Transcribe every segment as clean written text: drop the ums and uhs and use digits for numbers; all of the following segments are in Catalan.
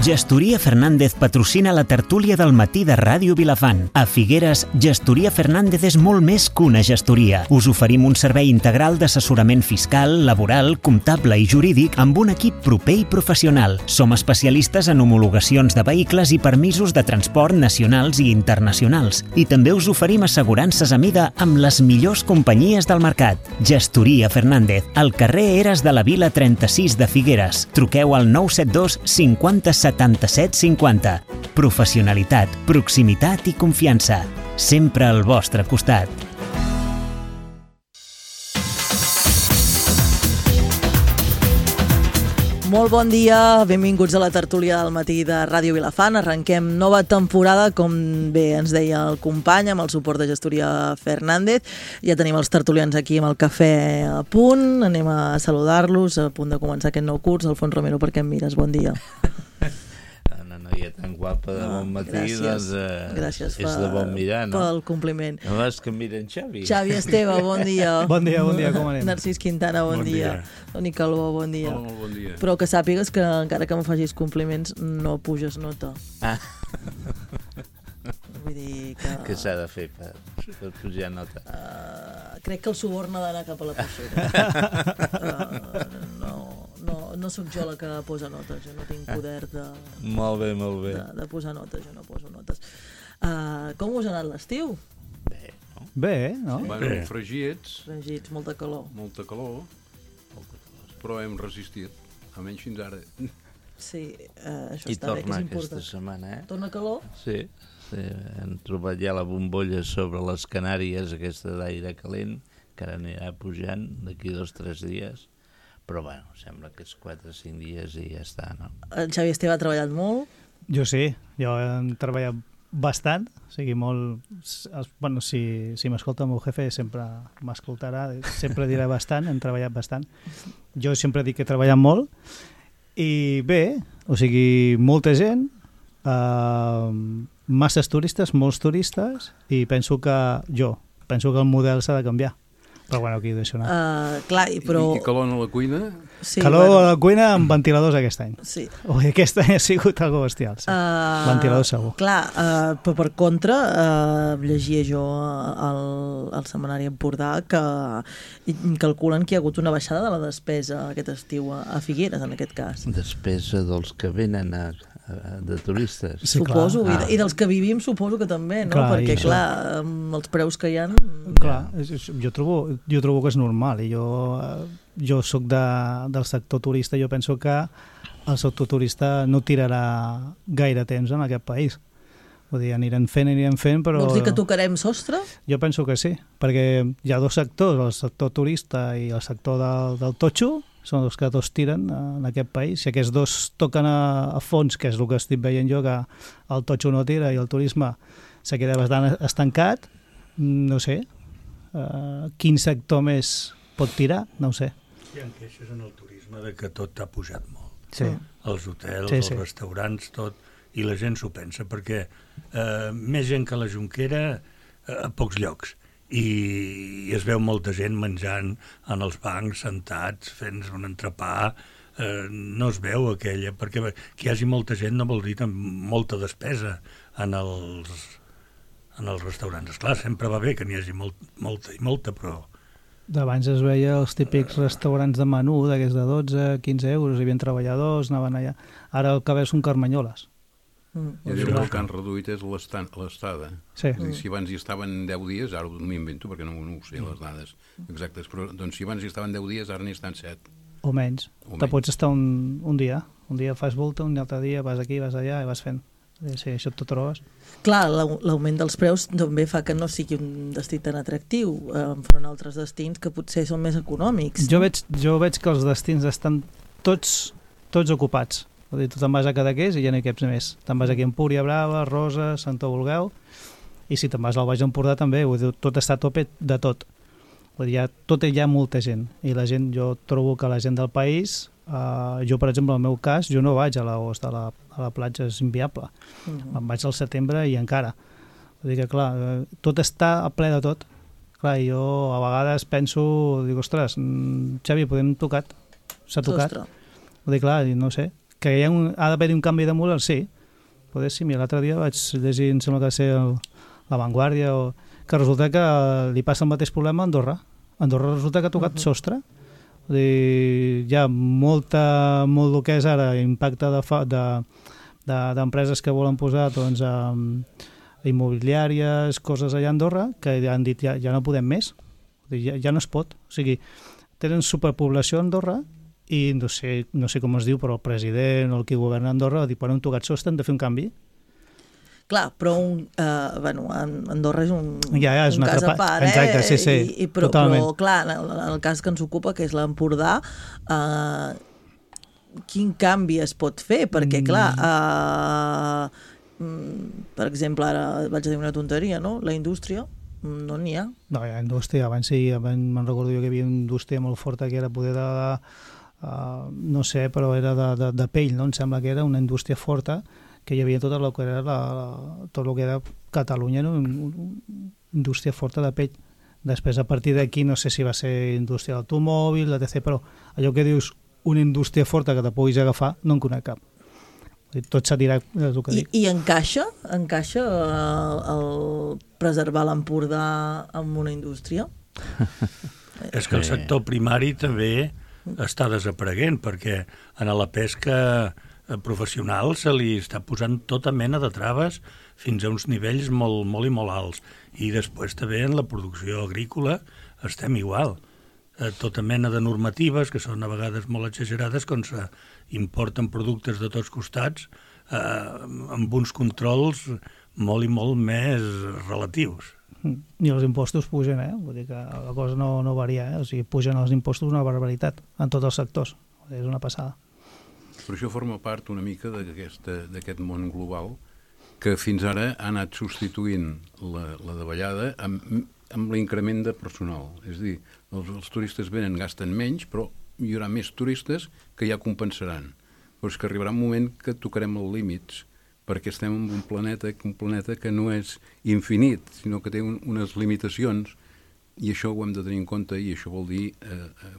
Gestoria Fernández patrocina la tertúlia del matí de Ràdio Vilafant. A Figueres, Gestoria Fernández és molt més que una gestoria. Us oferim un servei integral d'assessorament fiscal, laboral, comptable i jurídic amb un equip proper i professional. Som especialistes en homologacions de vehicles i permisos de transport nacionals i internacionals. I també us oferim assegurances a mida amb les millors companyies del mercat. Gestoria Fernández, al carrer Eres de la Vila 36 de Figueres. Truqueu al 972 50 77 50. Professionalitat, proximitat i confiança. Sempre al vostre costat. Molt bon dia, benvinguts a la tertúlia del matí de Ràdio Vilafant. Arrenquem nova temporada, com bé ens deia el company, amb el suport de Gestoria Fernández. Ja tenim els tertulians aquí amb el cafè a punt, anem a saludar-los, a punt de començar aquest nou curs. Alfons Romero, per què em mires? Bon dia. Una noia tan guapa de bon matí, gràcies. Doncs Gràcies és de bon mirar, no? Pel compliment. No és que miren Xavi. Xavi Esteve, bon dia. Bon dia, com anem? Narcís Quintana, bon dia. Toni Calbó, bon dia. Hola, molt bon dia. Però que sàpigues que encara que em facis compliments no puges nota. Ah. Vull dir que... Què s'ha de fer per pujar nota? Crec que el suborn ha d'anar cap a la persona. No sóc jo la que posa notes, jo no tinc poder de... Molt bé, molt bé. De posar notes, jo no poso notes. Com us ha anat l'estiu? Bé, no? Bé, no? Bueno, fregits, Fregits, molta calor. molta calor, però hem resistit, almenys fins ara. Sí, això I està bé, que torna és aquesta important. setmana, eh? Torna calor? Sí, hem trobat ja la bombolla sobre les Canàries, aquesta d'aire calent, que ara anirà pujant d'aquí 2 o 3 dies, però bueno, sembla que és 4 o 5 dies i ja està, no? El Xavi Esteve ha treballat molt. Jo sí, jo he treballat bastant, o sigui, molt... Bueno, si m'escolta el meu jefe sempre m'escoltarà, sempre dirà bastant, hem treballat bastant. Jo sempre dic que he treballat molt i bé, o sigui, molta gent, masses turistes, molts turistes, i penso que el model s'ha de canviar. Però bueno, aquí ho deixo anar. Clar, però... I calor a la cuina? Sí, Calor a la cuina amb ventiladors aquest any. Sí. Ui, aquest any ha sigut algo bestial. Sí. Ventilador segur. Clar, però per contra, llegia jo al setmanari Empordà que calculen que hi ha hagut una baixada de la despesa aquest estiu a Figueres, en aquest cas. Despesa dels que venen de turistes. Sí, Suposo, clar. i dels que vivim suposo que també, no? Clar, Perquè, i això. clar, amb els preus que hi ha... Clar, jo trobo que és normal i jo soc del sector turista, jo penso que el sector turista no tirarà gaire temps en aquest país. Vull dir, anirem fent, però... Vols dir que tocarem sostre? Jo penso que sí, perquè hi ha 2 sectors, el sector turista i el sector del totxo, són els que 2 tiren en aquest país. Si aquests 2 toquen a fons, que és el que estic veient jo, que el totxo no tira i el turisme se queda bastant estancat, no sé, quin sector més pot tirar? No ho sé. Hi ha queixes en el turisme de que tot ha pujat molt. Sí. Els hotels, Sí. els restaurants, tot, i la gent s'ho pensa, perquè més gent que la Jonquera a pocs llocs. I es veu molta gent menjant en els bancs, sentats, fent un entrepà, no es veu aquella, perquè que hi hagi molta gent no vol dir molta despesa en els restaurants. Esclar, sempre va bé que n'hi hagi molta, però... D'abans es veia els típics restaurants de menú, d'aquests de 12, 15 euros, hi havia treballadors, anaven allà. Ara el que veus són carmanyoles. I el que han reduït és l'estada. Sí. És a dir, si abans hi estaven 10 dies, ara m'ho invento perquè no ho sé les dades exactes, però doncs, si abans hi estaven 10 dies, ara n'hi estan 7. O menys. Te pots estar un dia. Un dia fas volta, un altre dia vas aquí, vas allà i vas fent. Sí, això t'ho trobes. Clar, l'augment dels preus també fa que no sigui un destí tan atractiu enfront a altres destins que potser són més econòmics. Jo veig que els destins estan tots ocupats. Vull dir, tu te'n vas a Cadaqués i ja no hi caps més. Te'n vas aquí a Empúria Brava, Roses, Santa Vulgueu, i si te'n vas al Baix Empordà també, vull dir, tot està a tope de tot. Vull dir, hi ha molta gent. I la gent, jo trobo que la gent del país, jo per exemple, en el meu cas, jo no vaig a l'agost a la platja, és inviable. Em vaig al setembre i encara. Vull dir que, clar, tot està a ple de tot. Clar, jo a vegades penso, dic, ostres, Xavi, podem tocat? S'ha tocat? Ostres. Vull dir, clar, no sé, que ha d'haver un canvi de model, sí. Poder sí, mira, l'altre dia vaig llegir, em sembla que va ser La Vanguardia, que resulta que li passa el mateix problema a Andorra. Andorra resulta que ha tocat sostre. Vull dir, hi ha molt el que és ara impacte d'empreses que volen posar doncs, immobiliàries, coses allà a Andorra, que han dit ja no podem més. Vull dir, ja no es pot. O sigui, tenen superpoblació a Andorra i no sé com es diu, però el president o el que governa Andorra va dir, quan hem tocat sostre hem de fer un canvi. Clar, però Andorra és un és un cas a part, exacte, sí, però clar, en el cas que ens ocupa, que és l'Empordà, quin canvi es pot fer? Perquè, clar, per exemple, ara vaig a dir una tonteria, no? La indústria, no n'hi ha. No, hi ha indústria. Abans me'n recordo jo que hi havia una indústria molt forta que era poder no sé, però era de pell, no? Em sembla que era una indústria forta que hi havia tot el que era Catalunya, no? Una indústria forta de pell. Després, a partir d'aquí, no sé si va ser indústria d'automòbil, etc., però allò que dius, una indústria forta que te puguis agafar, no en conec cap. Tot s'anirà, és el que dic. I encaixa el preservar l'Empordà amb una indústria? És que el sector primari també està desapareguent, perquè en la pesca professional se li està posant tota mena de traves fins a uns nivells molt, molt i molt alts. I després també en la producció agrícola estem igual. Tota mena de normatives que són a vegades molt exagerades quan s'importen productes de tots costats amb uns controls molt i molt més relatius. I els impostos pugen, vull dir que la cosa no varia, o sigui, pugen els impostos una barbaritat en tots els sectors, és una passada. Però això forma part una mica d'aquest món global que fins ara ha anat substituint la davallada amb l'increment de personal. És a dir, els turistes venen, gasten menys, però hi haurà més turistes que ja compensaran. Però és que arribarà un moment que tocarem els límits, perquè estem en un planeta que no és infinit, sinó que té unes limitacions, i això ho hem de tenir en compte, i això vol dir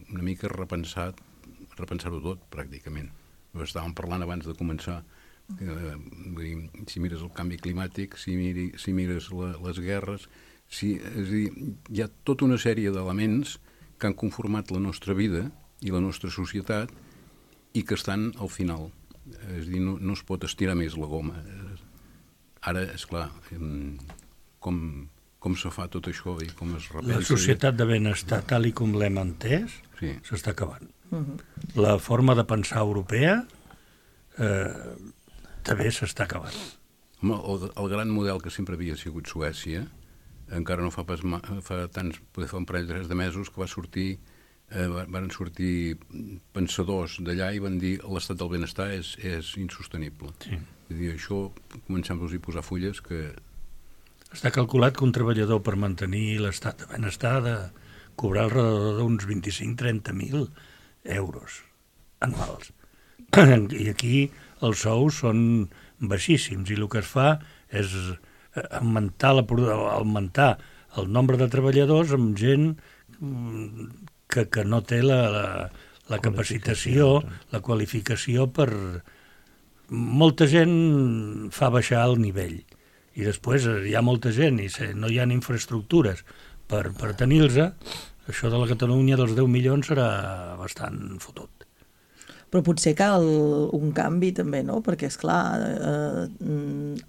una mica repensar-ho tot, pràcticament. Estàvem parlant abans de començar, si mires el canvi climàtic, si mires les guerres, és a dir, hi ha tota una sèrie d'elements que han conformat la nostra vida i la nostra societat i que estan al final. És a dir, no es pot estirar més la goma. Ara, esclar, com se fa tot això i com es repensa... La societat de benestar, tal i com l'hem entès, s'està acabant. La forma de pensar europea també s'està acabant. El gran model que sempre havia sigut Suècia, encara no fa tants, poder fer un parell de mesos, que van sortir pensadors d'allà i van dir que l'estat del benestar és insostenible. Sí. És a dir, això comencem-nos a posar fulles que... Està calculat que un treballador per mantenir l'estat de benestar ha de cobrar alrededor d'uns 25-30.000 euros anuals. I aquí els sous són baixíssims i el que es fa és augmentar el nombre de treballadors amb gent que no té la capacitació, la qualificació per... Molta gent fa baixar el nivell i després hi ha molta gent i no hi ha infraestructures per tenir-los, això de la Catalunya dels 10 milions serà bastant fotut. Però potser cal un canvi també, no? Perquè, esclar,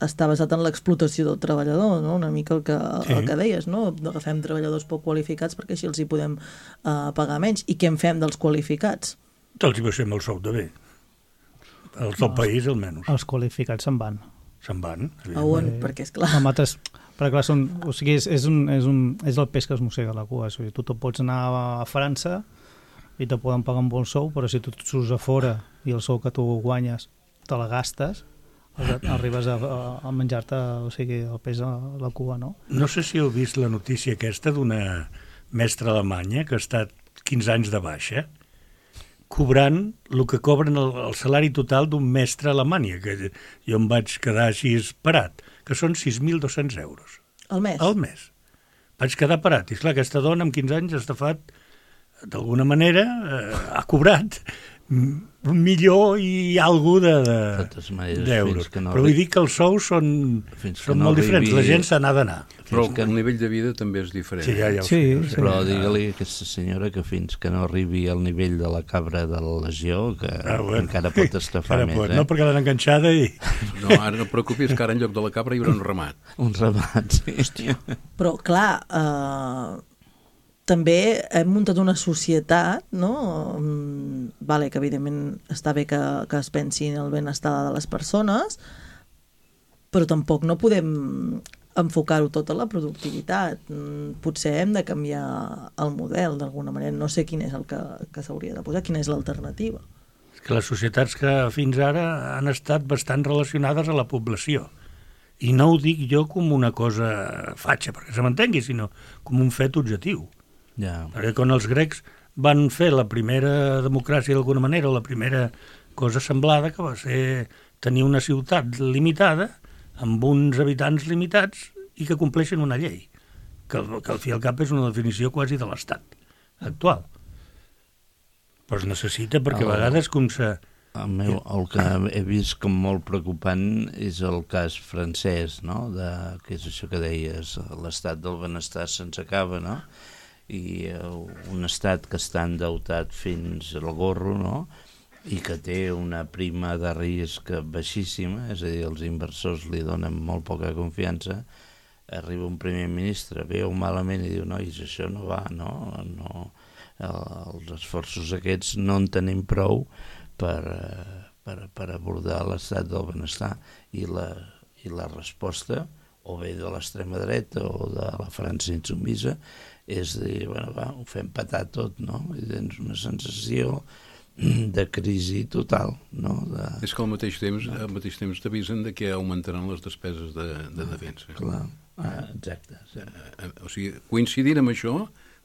està basat en l'explotació del treballador, no? Una mica el que deies, no? Agafem treballadors poc qualificats perquè així els hi podem pagar menys. I què en fem dels qualificats? Els hi baixem el sou de bé. Els del país, almenys. Els qualificats se'n van. Se'n van? A on? Perquè, esclar... Perquè, clar, o sigui, és el peix que es mossega la cua. O sigui, tu pots anar a França i te poden pagar un bon sou, però si tu surts a fora i el sou que tu guanyes te la gastes, arribes a menjar-te, o sigui, el peix a la cua, no? No sé si heu vist la notícia aquesta d'una mestra alemanya que ha estat 15 anys de baixa, cobrant el que cobren el salari total d'un mestre a Alemanya, que jo em vaig quedar així parat, que són 6.200 euros. Al mes? Al mes. Vaig quedar parat. I esclar, aquesta dona amb 15 anys ha estafat d'alguna manera ha cobrat millor i algú d'euros. No però vull dir que els sous són molt diferents, la gent se n'ha d'anar. Però el nivell de vida també és diferent. Sí, ja Sí. Però digue-li a aquesta senyora que fins que no arribi al nivell de la cabra de la legió, que encara pot estafar més. No, perquè l'han enganxada i... No, ara no et preocupis, que ara en lloc de la cabra hi haurà un ramat. Un ramat, sí. Però, clar, també hem muntat una societat, no? Vale, que evidentment està bé que es pensi en el benestar de les persones, però tampoc no podem enfocar-ho tot a la productivitat. Potser hem de canviar el model d'alguna manera. No sé quin és el que s'hauria de posar, quina és l'alternativa. És que les societats que fins ara han estat bastant relacionades a la població. I no ho dic jo com una cosa fatxa, perquè se m'entengui, sinó com un fet objectiu. Ja. Perquè quan els grecs van fer la primera democràcia d'alguna manera, la primera cosa semblada, que va ser tenir una ciutat limitada, amb uns habitants limitats i que compleixen una llei, que al fi i al cap és una definició quasi de l'Estat actual. Però es necessita perquè a vegades com se... El que he vist com molt preocupant és el cas francès, no? Que és això que deies, l'estat del benestar se'ns acaba, no? I un estat que està endeutat fins al gorro, no? I que té una prima de risc baixíssima, és a dir, els inversors li donen molt poca confiança, arriba un primer ministre, veu malament i diu, nois, això no va, no, els esforços aquests no en tenim prou per abordar l'estat del benestar, i la resposta, o bé de l'extrema dreta o de la França insubmisa, és dir, bueno, va, ho fem petar tot, no? I tens una sensació de crisi total, no? És que al mateix temps t'avisen de que augmentaran les despeses de defensa. Clar, exacte. Sí. O sigui, coincidint amb això,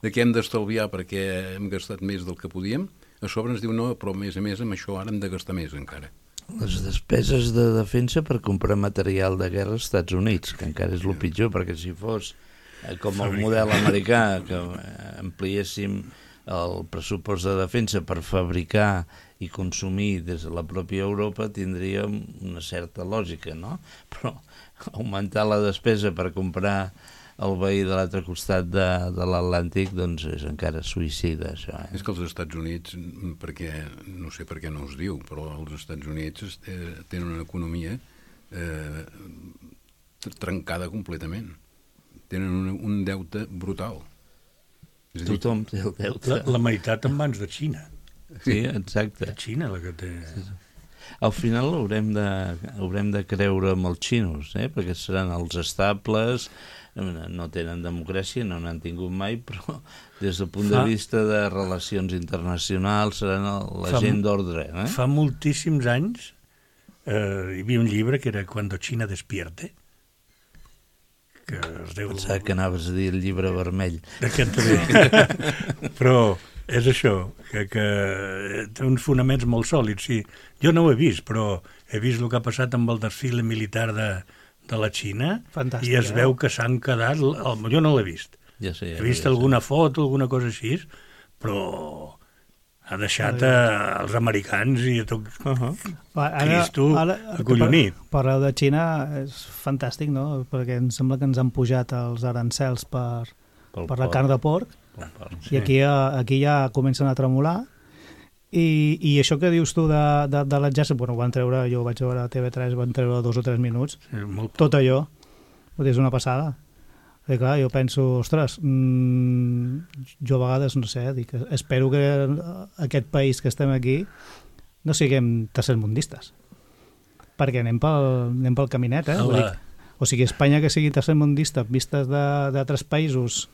de que hem d'estalviar perquè hem gastat més del que podíem, a sobre ens diu no, però a més amb això ara hem de gastar més encara. Les despeses de defensa per comprar material de guerra als Estats Units, que encara és el pitjor, perquè si fos com el model americà, que ampliéssim el pressupost de defensa per fabricar i consumir des de la pròpia Europa, tindríem una certa lògica, no? Però augmentar la despesa per comprar el veí de l'altre costat de l'Atlàntic, doncs és encara suïcida, això. És que els Estats Units, perquè no sé per què no es diu, però els Estats Units tenen una economia trencada completament. Tenen un deute brutal. Tothom té el deute. La meitat en mans de Xina. Sí, exacte. La Xina la que té... Al final haurem de creure amb els xinos, perquè seran els estables, no tenen democràcia, no n'han tingut mai, però des del punt de vista de relacions internacionals seran la gent d'ordre. Fa moltíssims anys hi havia un llibre que era Cuando China despierte, que es deu... Pensava que anaves a dir el llibre vermell. D'aquest també. Però és això, que té uns fonaments molt sòlids. Sí, jo no ho he vist, però he vist el que ha passat amb el desfile militar de la Xina. Fantàstic, i es veu que s'han quedat... Jo no l'he vist. Ja sé, he vist alguna foto, alguna cosa així, però ha deixat els americans i a tot Cristo acollonit. Parleu de Xina, és fantàstic, no? Perquè em sembla que ens han pujat els arancels per la carn de porc, i aquí ja comencen a tremolar, i això que dius tu de l'exèrcit, bueno, van treure, jo vaig veure a TV3, van treure 2 o 3 minuts, tot allò, és una passada. I clar, jo penso, ostres, jo a vegades, no sé, dic, espero que aquest país que estem aquí no siguem tercermundistes, perquè anem pel caminet, o sigui, Espanya que sigui tercermundista, vistes d'altres països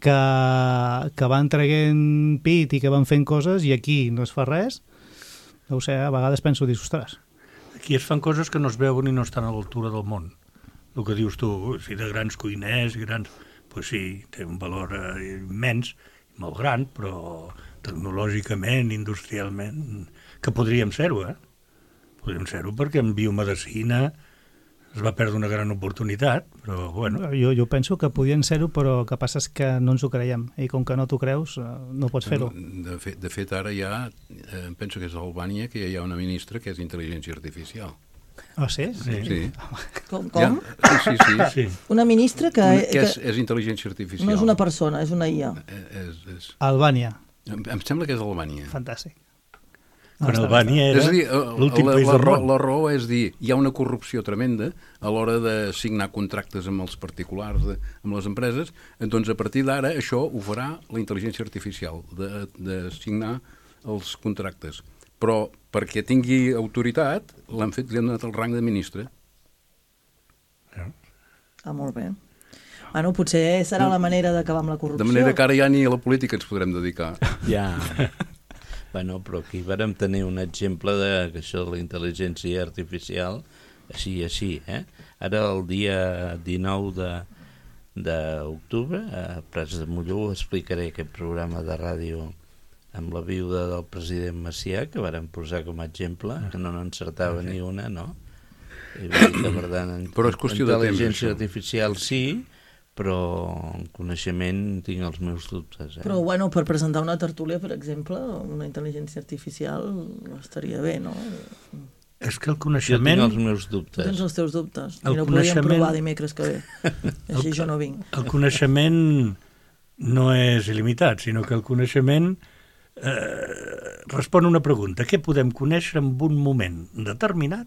que van traient pit i que van fent coses, i aquí no es fa res, no ho sé, a vegades penso, dius, ostres. Aquí es fan coses que no es veuen i no estan a l'altura del món. El que dius tu, si de grans cuiners, pues sí, té un valor immens, molt gran, però tecnològicament, industrialment, que podríem ser-ho, Podríem ser-ho perquè en biomedicina es va perdre una gran oportunitat, però bueno. Jo penso que podien ser-ho, però el que passa és que no ens ho creiem, i com que no t'ho creus, no pots fer-ho. De fet, ara ja, penso que és a Albània, que hi ha una ministra que és intel·ligència artificial. Ah, sí? Sí. Com? Ja, sí. Una ministra que és intel·ligència artificial. no és una persona, és una IA. Albània. Em sembla que és Albània. Fantàstic. Quan Albània era l'últim país del món. La raó és dir, hi ha una corrupció tremenda a l'hora de signar contractes amb els particulars, amb les empreses, doncs a partir d'ara això ho farà la intel·ligència artificial, de signar els contractes. Però perquè tingui autoritat, li han donat el rang de ministre. Molt bé. Bueno, potser serà la manera d'acabar amb la corrupció. De manera que ara ja ni a la política ens podrem dedicar. Ja. Bueno, però aquí vàrem tenir un exemple que això de la intel·ligència artificial, així, Ara, el dia 19 d'octubre, a Prats de Molló, explicaré aquest programa de ràdio amb la viuda del president Macià, que vàrem posar com a exemple, que no n'encertava ni una, no? I vull dir que, per tant, però és qüestió de temps, intel·ligència artificial sí, però en coneixement tinc els meus dubtes. Però, bueno, per presentar una tertúlia, per exemple, una intel·ligència artificial estaria bé, no? És que el coneixement... Jo tinc els meus dubtes. Tu tens els teus dubtes. El I no podríem provar dimecres que ve. Així jo no vinc. El coneixement no és il·limitat, sinó que el coneixement respon a una pregunta. Què podem conèixer en un moment determinat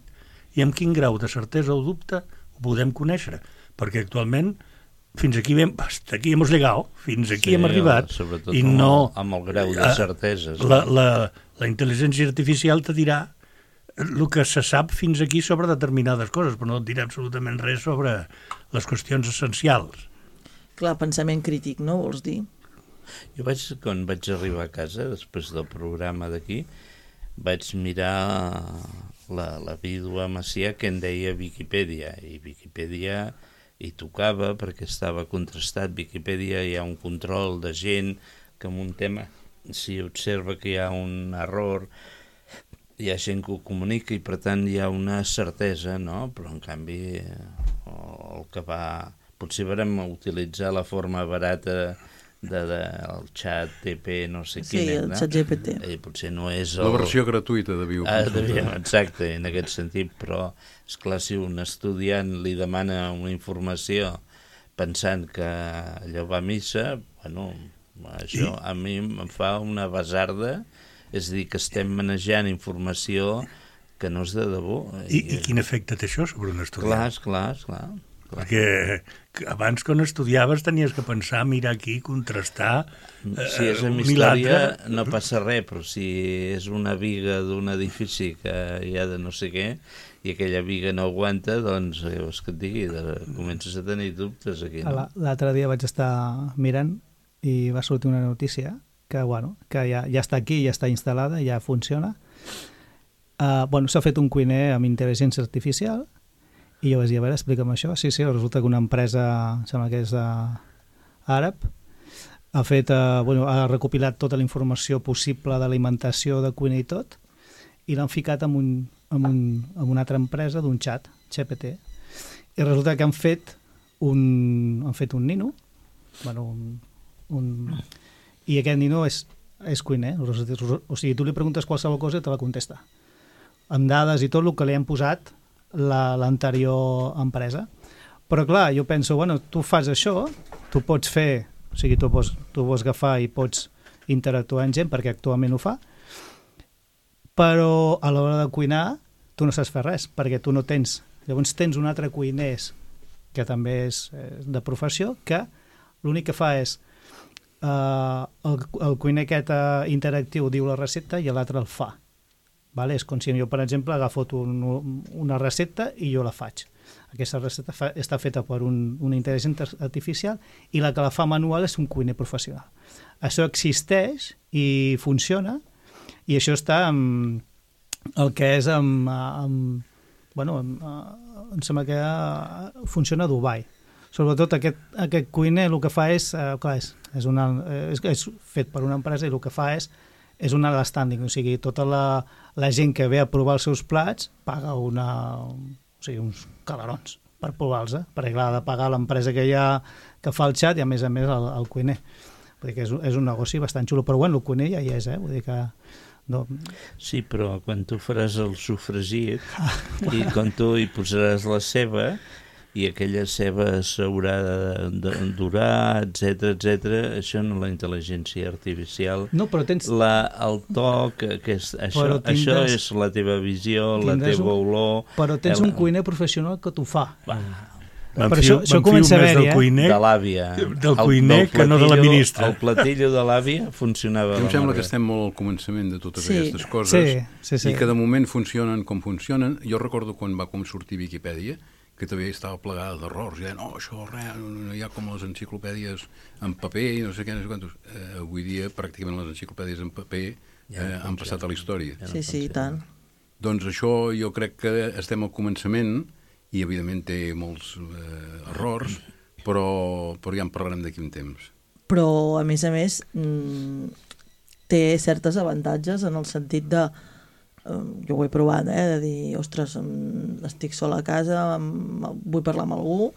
i amb quin grau de certesa o dubte ho podem conèixer? Perquè actualment fins aquí hasta aquí hemos llegado, fins aquí hem arribat, sobretot i no amb el grau de certeses. La intel·ligència artificial te dirà el que se sap fins aquí sobre determinades coses, però no et dirà absolutament res sobre les qüestions essencials. Clar, pensament crític, no vols dir? Jo quan vaig arribar a casa, després del programa d'aquí, vaig mirar la vídua Macià que en deia Viquipèdia, i Viquipèdia hi tocava perquè estava contrastat. Viquipèdia hi ha un control de gent que en un tema, si observa que hi ha un error, hi ha gent que ho comunica i per tant hi ha una certesa, no? Però en canvi el que va... Potser vam utilitzar la forma barata del xat TP no sé quin, el xat GPT. Potser no és la versió gratuïta de Bioconsulta. Exacte, en aquest sentit, però esclar, si un estudiant li demana una informació pensant que allò va a missa, bueno, això a mi em fa una basarda, és a dir, que estem manejant informació que no és de debò. I quin efecte té això sobre un estudiant? Clar. Perquè abans, quan estudiaves, tenies que pensar, mirar aquí, contrastar, si és en història no passa res, però si és una viga d'un edifici que hi ha de no sé què i aquella viga no aguanta, doncs, vols que et digui, comences a tenir dubtes aquí, no? L'altre dia vaig estar mirant i va sortir una notícia que, que ja està aquí, ja està instal·lada, ja funciona. S'ha fet un cuiner amb intel·ligència artificial. I jo vaig dir, a veure, explica'm això. Sí, resulta que una empresa, sembla que és àrab, ha recopilat tota la informació possible d'alimentació, de cuina i tot, i l'han ficat amb una altra empresa d'un xat, GPT. I resulta que han fet un nino, i aquest nino és cuiner. O sigui, tu li preguntes qualsevol cosa i te la contesta. Amb dades i tot el que li han posat l'anterior empresa. Però clar, jo penso, tu fas això, tu pots fer, o sigui, tu pots agafar i pots interactuar amb gent, perquè actualment ho fa, però a l'hora de cuinar tu no saps fer res, perquè tu no tens... Llavors tens un altre cuiner que també és de professió, que l'únic que fa és el cuiner aquest interactiu diu la recepta i l'altre el fa. És com si jo, per exemple, agafo una recepta i jo la faig. Aquesta recepta està feta per una intel·ligència artificial i la que la fa manual és un cuiner professional. Això existeix i funciona, i això està el que és em sembla que funciona a Dubai. Sobretot aquest cuiner el que fa és fet per una empresa i el que fa és un alt standing, o sigui, tota la gent que ve a provar els seus plats paga uns calarons per provar-los, perquè clar, ha de pagar l'empresa que fa el xat i a més el cuiner. Vull dir que és un negoci bastant xulo, però bueno, el cuiner ja hi és, vull dir que... No. Sí, però quan tu faràs el sofregit i quan tu hi posaràs la ceba i aquella ceba s'haurà de dorar, etc, això no, la intel·ligència artificial, no, però tens... el toc, això és la teva visió, la teva olor... Però tens un cuiner professional que t'ho fa. Però això comença a haver-hi, de l'àvia. Del cuiner que no de la ministra. El platillo de l'àvia funcionava. Em sembla que estem molt al començament de totes aquestes coses sí. I que de moment funcionen com funcionen. Jo recordo quan va sortir Viquipèdia, que també estava plegada d'errors, i deien, això no hi ha com les enciclopèdies en paper i no sé què, no sé quantos. Avui dia pràcticament les enciclopèdies en paper han passat a la història. Sí, i tant. Doncs això jo crec que estem al començament i evidentment té molts errors, però ja en parlarem d'aquí un temps. Però a més, té certes avantatges en el sentit de jo ho he provat, de dir, ostres, estic sola a casa, vull parlar amb algú,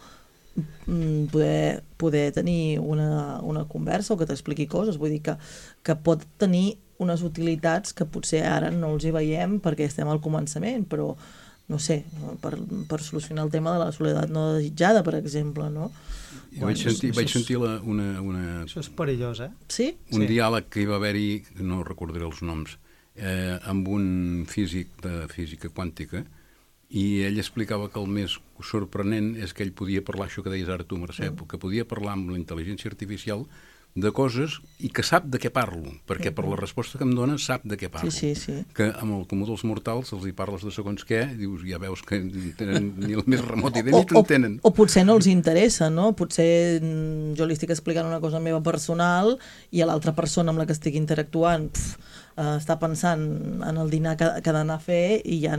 poder tenir una conversa o que t'expliqui coses, vull dir que pot tenir unes utilitats que potser ara no els hi veiem perquè estem al començament, però no sé, per solucionar el tema de la soledat no desitjada, per exemple, no? Vaig sentir una... Això és perillós, Sí? Un diàleg que hi va haver-hi, no recordaré els noms, amb un físic de física quàntica, i ell explicava que el més sorprenent és que ell podia parlar, això que deies ara tu, Mercè, que podia parlar amb la intel·ligència artificial de coses i que sap de què parlo, perquè per la resposta que em dona sap de què parlo. Sí. Que amb el comú dels mortals els hi parles de segons què, dius, ja veus que tenen ni el més remot idea ni t'entenen. O potser no els interessa, no? Potser jo li estic explicant una cosa meva personal i a l'altra persona amb la que estic interactuant està pensant en el dinar que ha d'anar a fer i ja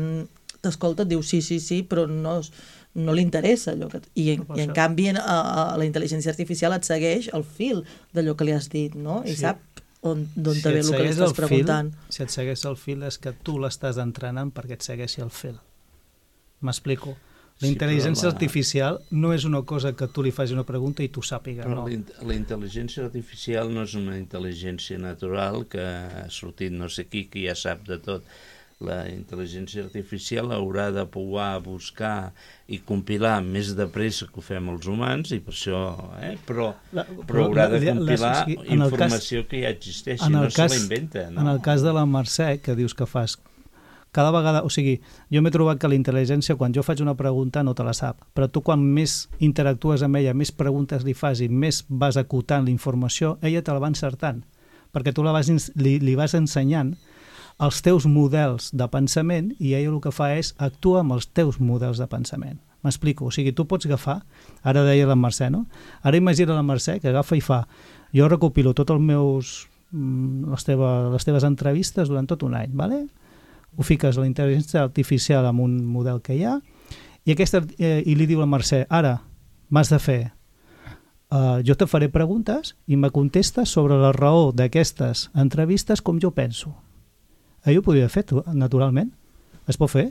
t'escolta, et diu sí, però no li interessa allò i en canvi la intel·ligència artificial et segueix el fil d'allò que li has dit, no? I sap d'on te ve el que li estàs preguntant. Si et segueix el fil és que tu l'estàs entrenant perquè et segueixi el fil. M'explico. La intel·ligència artificial no és una cosa que tu li facis una pregunta i tu sàpiga, no. La intel·ligència artificial no és una intel·ligència natural que ha sortit no sé qui, que ja sap de tot. La intel·ligència artificial haurà de poder buscar i compilar més de pressa que ho fem els humans, i per això, però haurà de compilar informació que ja existeix, no se la inventa. En el cas de la Mercè, que dius que fas, cada vegada, o sigui, jo m'he trobat que la intel·ligència, quan jo faig una pregunta, no te la sap, però tu quan més interactues amb ella, més preguntes li fas i més vas acotant la informació, ella te la va encertant, perquè tu li vas ensenyant els teus models de pensament i ella el que fa és actuar amb els teus models de pensament. M'explico, o sigui, tu pots agafar, ara deia la Mercè, no? Ara imagina la Mercè que agafa i fa, jo recopilo tots les teves entrevistes durant tot un any, ¿vale? Ho fiques a la intel·ligència artificial amb un model que hi ha i li diu a la Mercè, ara m'has de fer, jo te faré preguntes i me contestes sobre la raó d'aquestes entrevistes com jo penso. Ho podria fer, naturalment. Es pot fer.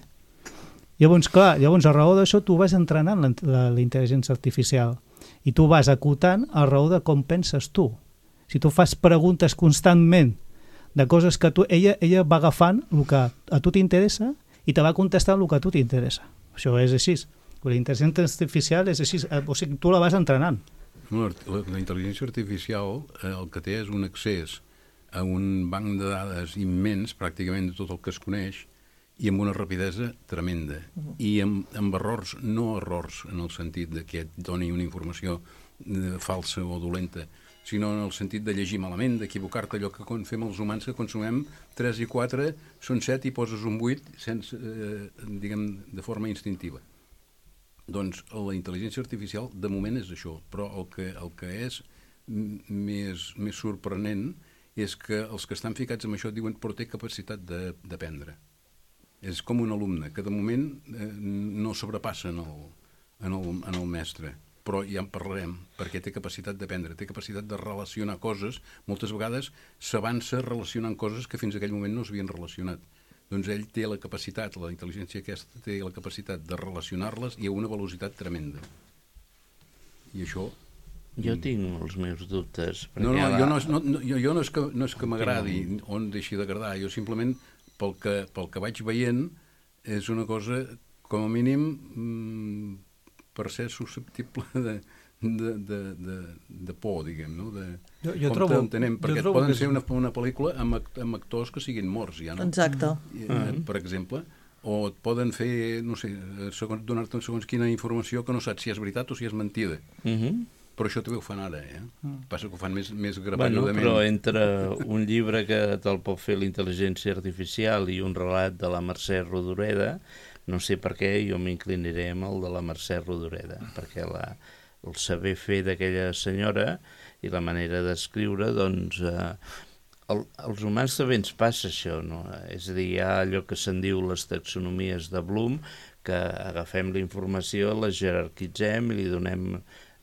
Llavors, a raó d'això, tu vas entrenant la intel·ligència artificial i tu vas acotant a raó de com penses tu. Si tu fas preguntes constantment de coses que ella va agafant el que a tu t'interessa i te va contestant el que a tu t'interessa. Això és així. La intel·ligència artificial és així. O sigui, tu la vas entrenant. La intel·ligència artificial el que té és un accés a un banc de dades immens, pràcticament de tot el que es coneix, i amb una rapidesa tremenda. I amb errors, no errors en el sentit de que et doni una informació falsa o dolenta, sinó en el sentit de llegir malament, d'equivocar-te, allò que fem els humans, que consumem 3 i 4, són 7 i poses un 8, diguem, de forma instintiva. Doncs la intel·ligència artificial, de moment, és això, però el que és més sorprenent és que els que estan ficats en això diuen però té capacitat d'aprendre. És com un alumne que de moment no sobrepassa en el mestre, però ja en parlarem, perquè té capacitat d'aprendre, té capacitat de relacionar coses, moltes vegades s'avança relacionant coses que fins a aquell moment no s'havien relacionat. doncs ell té la capacitat, la intel·ligència aquesta té la capacitat de relacionar-les i a una velocitat tremenda. I això... Jo tinc els meus dubtes. No, jo no és que m'agradi o no deixi d'agradar, jo simplement pel que vaig veient és una cosa, com a mínim, per ser susceptible de por, diguem, no? Jo trobo... Perquè poden ser una pel·lícula amb actors que siguin morts, ja, no? Exacte. Per exemple, o et poden fer, no sé, donar-te segons quina informació que no saps si és veritat o si és mentida. Però això també ho fan ara, Passa que ho fan més grapalludament. Però entre un llibre que te'l pot fer la intel·ligència artificial i un relat de la Mercè Rodoreda, no sé per què jo m'inclinaré amb el de la Mercè Rodoreda, perquè el saber fer d'aquella senyora i la manera d'escriure, doncs, als humans també ens passa això, no? És a dir, hi ha allò que se'n diu les taxonomies de Bloom, que agafem la informació, la jerarquitzem i li donem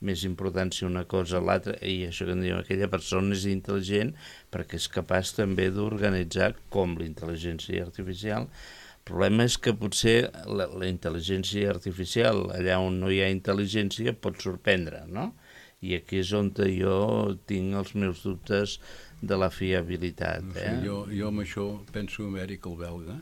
més importància a una cosa a l'altra, i això que en diu, aquella persona és intel·ligent perquè és capaç també d'organitzar com la intel·ligència artificial. El problema és que potser la intel·ligència artificial, allà on no hi ha intel·ligència, pot sorprendre, no? I aquí és on jo tinc els meus dubtes de la fiabilitat. No sé, jo amb això penso en Eric el belga,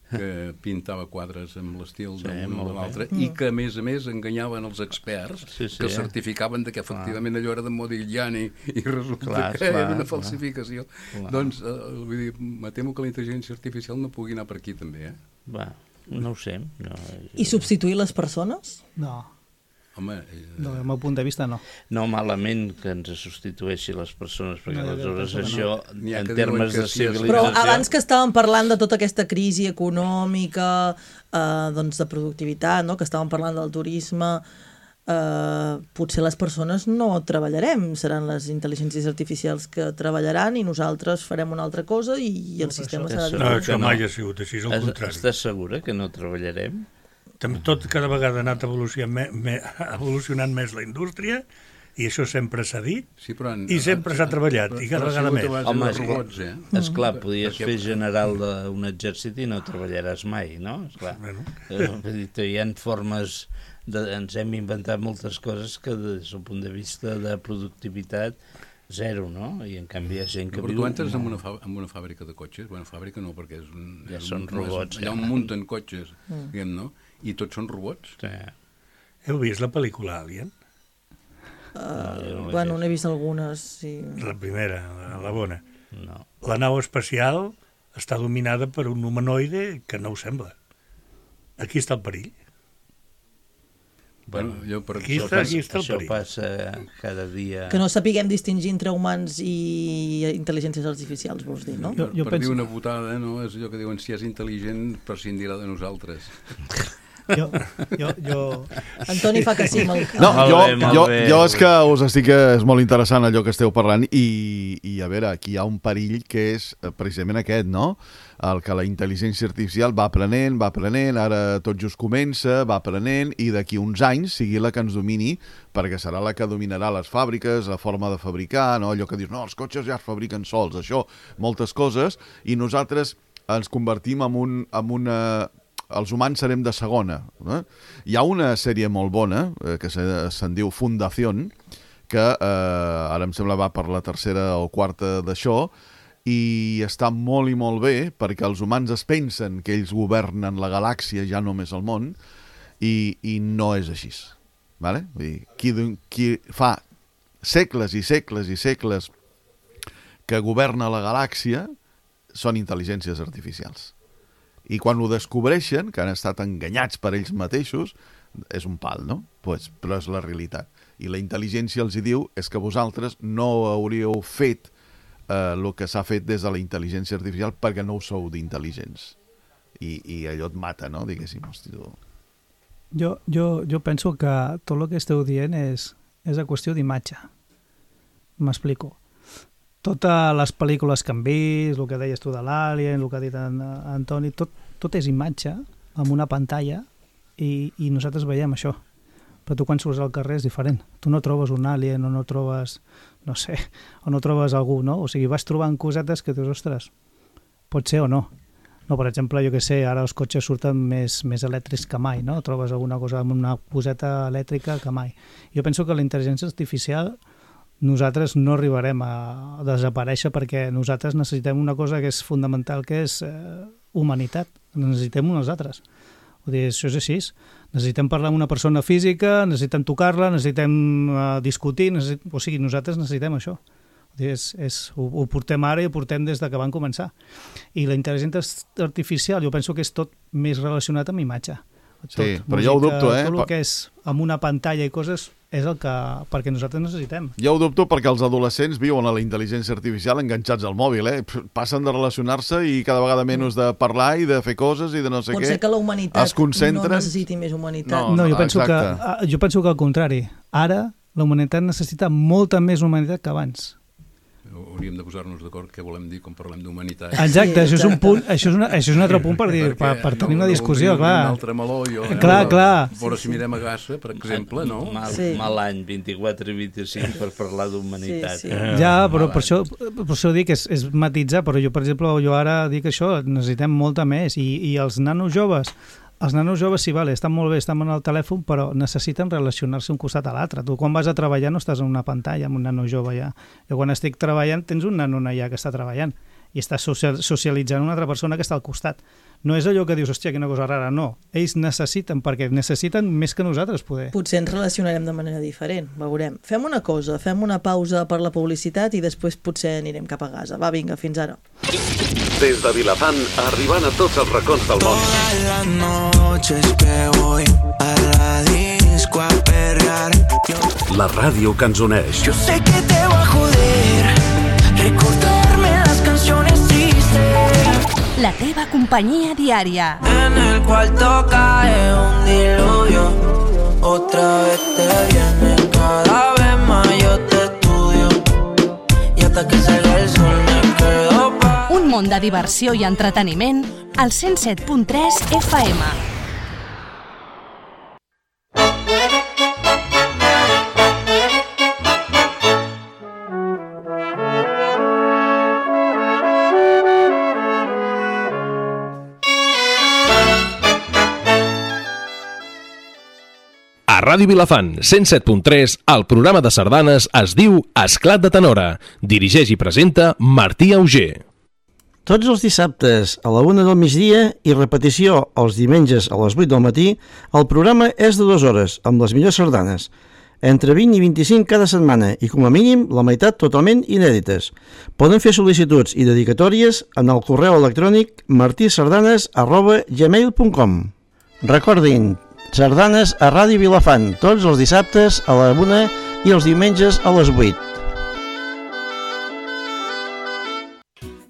que pintava quadres amb l'estil d'un o de l'altre i que, a més, enganyaven els experts que certificaven que efectivament allò era de Modigliani i resulta que era una falsificació. Doncs, vull dir, me temo que la intel·ligència artificial no pugui anar per aquí també, No ho sé. I substituir les persones? No. Home... No, del meu punt de vista, no. No, malament que ens substitueixi les persones, perquè aleshores això, en que termes de sí, civilització... Però abans que estàvem parlant de tota aquesta crisi econòmica, doncs de productivitat, no? Que estàvem parlant del turisme, potser les persones no treballarem, seran les intel·ligències artificials que treballaran i nosaltres farem una altra cosa i el sistema serà diferent. No, això mai ha sigut així, és el contrari. Estàs segura que no treballarem? Tot cada vegada ha anat evolucionant més la indústria i això sempre s'ha dit i sempre s'ha treballat i cada vegada més. Home, esclar, podies fer general d'un exèrcit i no treballaràs mai, no? Esclar. Hi ha formes, ens hem inventat moltes coses que des del punt de vista de productivitat zero, no? I en canvi hi ha gent que viu... Però tu entres en una fàbrica de cotxes, bueno, fàbrica no, perquè ja són robots. Allà on munten cotxes, diguem, no? I tots són robots. Sí. Heu vist la pel·lícula Alien? Bueno, n'he vist algunes, sí. La primera, la bona. No. La nau espacial està dominada per un humanoide que no ho sembla. Aquí està el perill. Bueno, aquí està el això perill. passa cada dia... Que no sapiguem distingir entre humans i intel·ligències artificials, vols dir, no? Per dir una putada, no? És allò que diuen, si és intel·ligent, prescindirà de nosaltres. Antoni fa que sí. No, jo és que us estic... És molt interessant allò que esteu parlant i a veure, aquí hi ha un perill que és precisament aquest, no? El que la intel·ligència artificial va aprenent, ara tot just comença, va aprenent i d'aquí uns anys sigui la que ens domini, perquè serà la que dominarà les fàbriques, la forma de fabricar, no? Allò que dius, no, els cotxes ja es fabriquen sols, això, moltes coses, i nosaltres ens convertim en una... Els humans serem de segona. Hi ha una sèrie molt bona, que se'n diu Fundación, que ara em sembla va per la tercera o quarta d'això, i està molt i molt bé perquè els humans es pensen que ells governen la galàxia, ja només el món, i no és així. Vale? Vull dir, qui fa segles i segles i segles que governa la galàxia són intel·ligències artificials. I quan ho descobreixen, que han estat enganyats per ells mateixos, és un pal, no? Pues, però és la realitat. I la intel·ligència els diu és que vosaltres no hauríeu fet el que s'ha fet des de la intel·ligència artificial perquè no ho sou d'intel·ligents. I allò et mata, no? Diguéssim. Jo penso que tot el que esteu dient és a qüestió d'imatge. M'explico. Totes les pel·lícules que hem vist, el que deies tu de l'Alien, el que ha dit Antoni, tot és imatge amb una pantalla i nosaltres veiem això. Però tu quan surts al carrer és diferent. Tu no trobes un alien o no trobes, no sé, o no trobes algú, no? O sigui, vas trobant cosetes que dius, ostres, pot ser o no. No, per exemple, jo què sé, ara els cotxes surten més elèctrics que mai, no? Trobes alguna cosa amb una poseta elèctrica que mai. Jo penso que la intel·ligència artificial nosaltres no arribarem a desaparèixer perquè nosaltres necessitem una cosa que és fundamental, que és humanitat. Necessitem uns altres. Vull dir, això és així. Necessitem parlar amb una persona física, necessitem tocar-la, necessitem discutir, o sigui, nosaltres necessitem això. Ho portem ara i ho portem des que van començar. I la intel·ligència artificial jo penso que és tot més relacionat amb imatge. Sí, però jo ho dubto, Tot el que és amb una pantalla i coses és el que perquè nosaltres necessitem. Jo ho dubto perquè els adolescents viuen a la intel·ligència artificial enganxats al mòbil, passen de relacionar-se i cada vegada menys de parlar i de fer coses i de no sé què. Pot ser que la humanitat no necessiti més humanitat. No, jo penso que al contrari. Ara la humanitat necessita molta més humanitat que abans. Hauríem de posar-nos d'acord què volem dir quan parlem d'humanitat. Exacte, això és un punt, això és un altre punt per tenir una discussió, clar. Un altre meló, clar. Però si mirem a Gassa, per exemple, no? Mal any, 24 i 25 per parlar d'humanitat. Ja, però per això dic, és matitzar, però jo, per exemple, ara dic això, necessitem molta més, i els nanos joves, sí, vale, estan molt bé, estan en el telèfon, però necessiten relacionar-se un costat a l'altre. Tu quan vas a treballar no estàs en una pantalla amb un nano jove allà. Jo quan estic treballant tens un nano allà que està treballant i estàs socialitzant una altra persona que està al costat. No és allò que dius, hòstia, quina cosa rara, no. Ells necessiten, perquè necessiten més que nosaltres poder. Potser ens relacionarem de manera diferent, veurem. Fem una cosa, fem una pausa per la publicitat i després potser anirem cap a casa. Va, vinga, fins ara. Des de Vilafant, arribant a tots els racons del món. Todas las noches que voy a la disco a perrear. La ràdio que ens uneix. Yo sé que te va a joder recordarme las canciones tristes. La teva companyia diària. En el cuarto cae un diluvio. Otra vez te viene, cada vez más yo te estudio. Y hasta que salga el sol me quedo pa... Un món de diversió i entreteniment al 107.3 FM. A Ràdio Vilafant, 107.3, el programa de sardanes es diu Esclat de Tenora. Dirigeix i presenta Martí Auger. Tots els dissabtes a la 1 del migdia i repetició els diumenges a les 8 del matí, el programa és de 2 hores, amb les millors sardanes. Entre 20 i 25 cada setmana i, com a mínim, la meitat totalment inèdites. Poden fer sol·licituds i dedicatòries en el correu electrònic martisardanes@gmail.com. Recordin, sardanes a Ràdio Vilafant, tots els dissabtes a la 1 i els diumenges a les 8.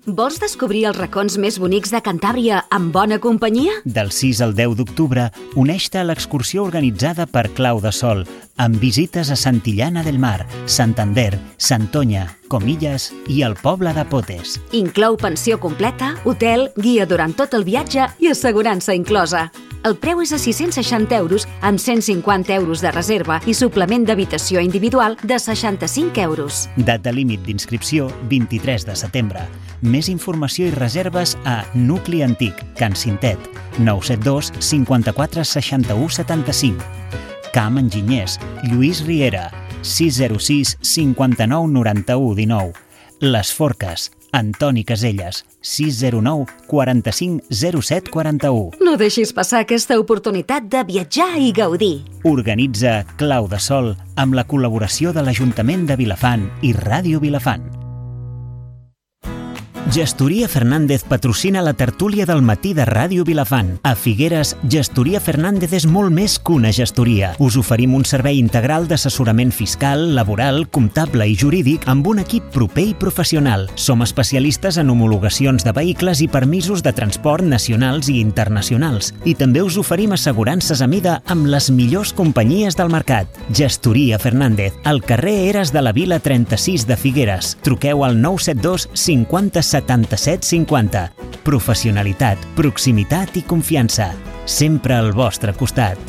Vols descobrir els racons més bonics de Cantàbria amb bona companyia? Del 6 al 10 d'octubre, uneix-te a l'excursió organitzada per Clau de Sol, amb visites a Santillana del Mar, Santander, Santoña, Comillas i el poble de Potes. Inclou pensió completa, hotel, guia durant tot el viatge i assegurança inclosa. El preu és a 660 euros amb 150 euros de reserva i suplement d'habitació individual de 65 euros. Data límit d'inscripció 23 de setembre. Més informació i reserves a Nucli Antic, Can Cintet, 972 54 61 75. Camp Enginyers, Lluís Riera, 606 59 91 19. Les Forques, Antoni Caselles, 609 45 07 41. No deixis passar aquesta oportunitat de viatjar i gaudir. Organitza Clau de Sol amb la col·laboració de l'Ajuntament de Vilafant i Ràdio Vilafant. Gestoria Fernández patrocina la tertúlia del matí de Ràdio Vilafant. A Figueres, Gestoria Fernández és molt més que una gestoria. Us oferim un servei integral d'assessorament fiscal, laboral, comptable i jurídic amb un equip proper i professional. Som especialistes en homologacions de vehicles i permisos de transport nacionals i internacionals. I també us oferim assegurances a mida amb les millors companyies del mercat. Gestoria Fernández, al carrer Eres de la Vila 36 de Figueres. Truqueu al 972 50 77 50. Professionalitat, proximitat i confiança. Sempre al vostre costat.